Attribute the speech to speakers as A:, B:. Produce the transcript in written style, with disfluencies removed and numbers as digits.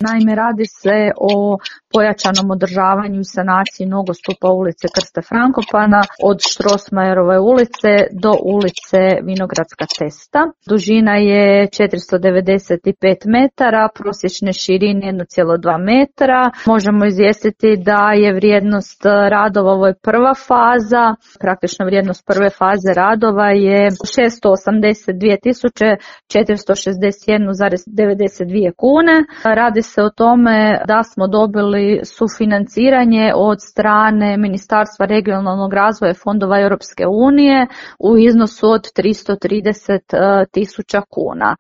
A: Naime, radi se o pojačanom održavanju i sanaciji nogostupa ulice Krste Frankopana od Strossmayerove ulice do ulice Vinogradska cesta. Dužina je 495 metara, prosječne širine 1,2 metra. Možemo izvijestiti da je vrijednost radova, ovo je prva faza, praktično vrijednost prve faze radova je 682.461,92 kune. Radi se o tome da smo dobili sufinanciranje od strane Ministarstva regionalnog razvoja i fondova Europske unije u iznosu od 330.000 kuna.